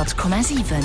100,7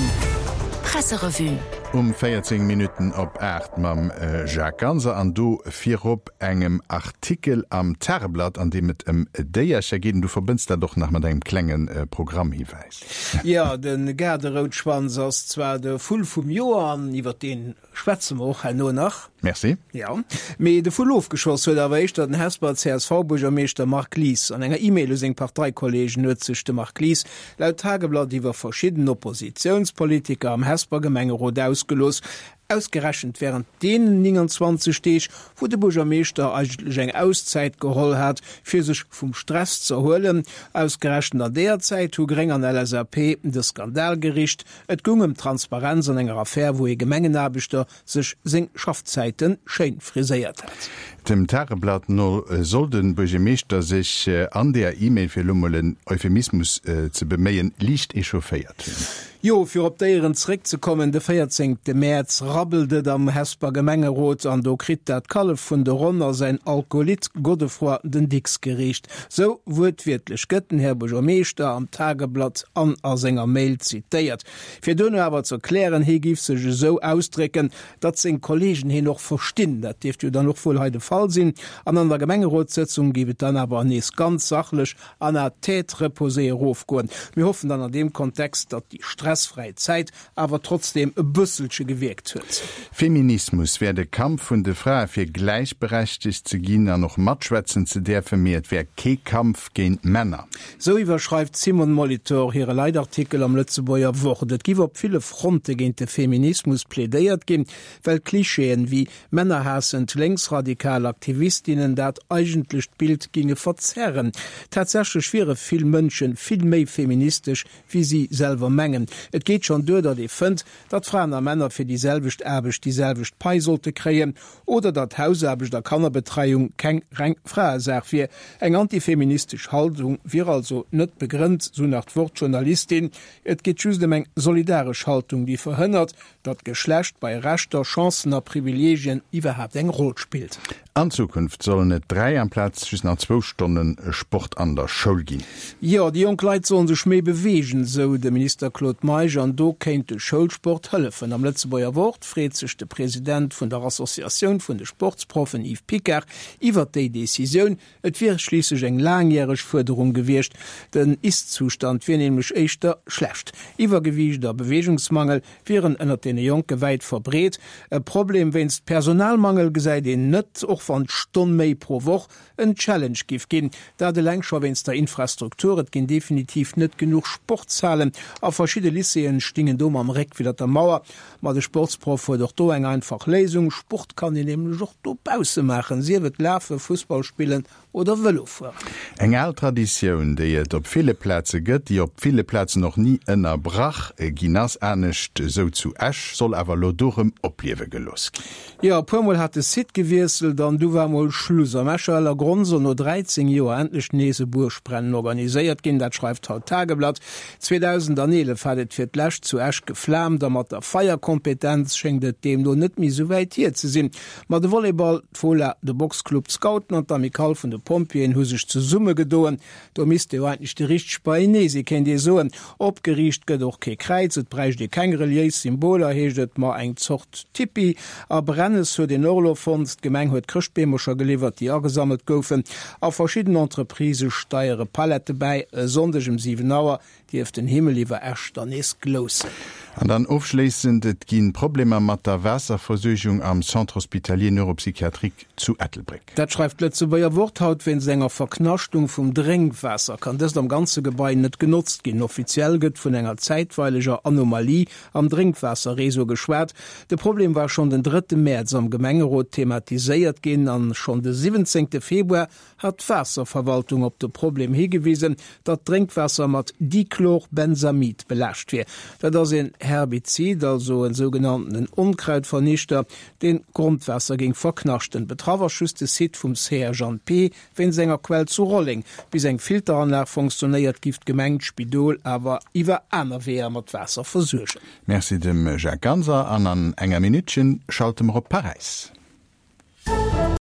Presserevue. Um 14 Minutten op 8 mam Jacques Ganser an do virop engem Artikel am Tageblatt, an deem et ëm Déiercher geet. An du verbënns dat och nach mat engem klenge Programmhiwäis. Jo, de Gaarderoutschwanz ass zwar de Vull vum Joer an iwwer deen Schwätze mer och herno nach. Merci. Jo, mee de Vull ofgeschoss huet awer éischter den Hesper CSV-Buergermeeschter Marc Lies. An enger E-Mail u seng Parteikollegen huet sech de Marc Lies laut Tageblatt iwwer verschidden Oppositiounspolitiker am Hesper Gemengerot ausgelooss. Ausgerechent wärend deenen 29 Deeg, wou de Buergermeeschter eigentlech eng Auszäit geholl hat, fir sech vum Stress z'erhuelen. Ausgerechent an deeër Zäit hu Gréng an LSAP de Skandal gericht. Et goung ëm Transparenz an enger Affär, wou ee Gemengenaarbechter sech seng Schaffzäite schéin friséiert hat. Dem Tageblatt no soll de Buergermeeschter sech an deeër E-Mail, fir elo mol en Euphemismus ze beméien, liicht echaufféiert hunn. Jo, fir op d'Déieren zeréckzekommen, de 14 Mäerz rabbelt et am Hesper Gemengerot an do kritt dat Kallef vun de Ronn a säin Alkolit Godefroid den Dicks geriicht. Sou wuertwiertlech gëtt den Här Buergermeeschter am Tageblatt an a senger Mail zitéiert. Fir duerno awer ze erklären, hee giff sech esou ausdrécken, datt seng Kollegen heen och verstinn. Dat dierft jo dann och wuel hei de Fall sinn. An an der Gemengerotssëtzung giff et dann awer nees ganz sachlech an à tête reposée erofgoen. Mir hoffen dann an deem Kontext, datt déi stressfräi Zäit awer trotzdeem e bësselche gewierkt huet. Feminismus wär de Kampf vun de Frae fir gläichberechtegt ze ginn an och matschwätzen ze däerfen, mee et wär kee Kampf géint Männer. Sou iwwerschreift d'Simone Molitor hire Leitartikel am Lëtzebuerger Wort. Et giff op ville Fronte géint de Feminismus plädéiert ginn, well Klischeeën wéi männerhaassend lénksradikal Aktivistinnen dat eigentlecht Bild ginge verzerren. Tatsächlech wiere vill Mënsche vill méi feministesch wéi si selwer mengen. Et geet schonn duer, datt ee fënnt, datt Fraen a Männer fir déi selwecht Aarbecht déi selwecht Pai sollte kréien oder datt Hausaarbecht a Kannerbetreiung keng reng Fraesaach wier. Eng antifeministesch Haltung wier also net begrënnt, sou nach d'Wort-Journalistin. Et geet just ëm eng solidaresch Haltung, déi verhënnert, datt Geschlecht bei Rechter, Chancen a Privileegien iwwerhaapt eng Roll spillt. An Zukunft sollen et 3 amplaz just nach zwou Stonne Sport an der Schoul ginn. Jo, déi jonk Leit sollen sech méi beweegen, esou de Minister Claude Meisch, an do kéint de Schoulsport hëllefen. Am Lëtzebuerger Wort freet sech de President vun der Associatioun vun de Sportsproffen Yves Picard iwwert déi Decisioun. Et wier schliisslech eng laangjäreg Fuerderung gewiescht. Den Ist-Zustand wier nämlech éischter schlecht. Iwwergewiicht a Beweegungsmangel wieren ënnert deene Jonke wäit verbreet. E Problem wéinst Personalmangel gesäit een net, och wann d'Stonn méi pro Woch en Challenge giff ginn. Dat eleng scho wéinst der Infrastruktur. Et ginn definitiv net genuch Sportshalen a verschidde Lycéeën stingen do mam Réck widder der Mauer. Ma de Sportsproff huet och do eng einfach Léisung, Sport kann een nämlech och dobausse maachen, sief et lafen, Fussball spillen oder Vëlo fueren. Eng al Traditioun, déi et op ville Plaze gëtt, déi op ville Plazen och ni ënnerbrach ginn ass, anescht esou zu Esch, soll awer elo do rëm opliewe gelooss ginn. Jo, e puer mol hat de Site gewiesselt an du war mol Schluss. Am Escher Ellergronn soll no 13 Joer endlech nees e Buergbrennen organiséiert ginn, dat schreift haut d'Tageblatt. 2011 hat et fir d'lescht zu Esch geflaamt a mat der Feierkompetenz schéngt et deemno net méi sou wäit hier ze sinn. Ma de Volleyball, d'Fola, de Boxclub, d'Scouten an d'Amicale vun de Pompjeeën hu sech zesummegedoen. Do misst jo eigentlech de richteg beienee si kéint ee soen. Opgeriicht gëtt och kee Kräiz, et bräicht ee keng reliéis Symboler, heescht et, ma eng Zort Tipi. A Brennes huet een och elo fonnt. D'Gemeng huet Chrëschtbeemercher geliwwert, déi agesammelt goufen. A verschidden Entreprisë steiere Palette bäi. E Sonndeg um 7 Auer dierft den Himmel iwwer Esch dann nees gloussen. An dann ofschléissend, Et gi Problemer mat der Waasserversuergung am Centre hospitalier neuropsychiatrique zu Ettelbréck. Dat schreift d'Lëtzebuerger Wort haut. Wéinst enger Verknaschtung vum Drénkwaasser kann dëst am ganze Gebai net genotzt ginn. Offiziell gëtt vun enger zäitweileger Anomalie am Drénkwaasserreseau geschwat. De Problem war schonn den drëtte Mäerz am Gemengerot thematiséiert ginn an schonn de siwwenzéngte Februar hat d'Waasserverwaltung op de Problem higewisen, datt d'Drénkwaasser mat Dichlorbenzamid belaascht wier. Dat ass een Herbizid, also en sougenanntenen Onkrautvernichter, deen d'Grondwaasser géing verknaschten. Betraff ass just de Site vum CHNP wéinst enger Quell zu Rolleng. Bis eng Filteranlag funktionéiert, giff d'Gemeng d'Spidol awer iwwer aner Weeër mat Waasser versuergen. Merci dem Jacques Ganser an an enger Minuttchen schalte mer op Paräis.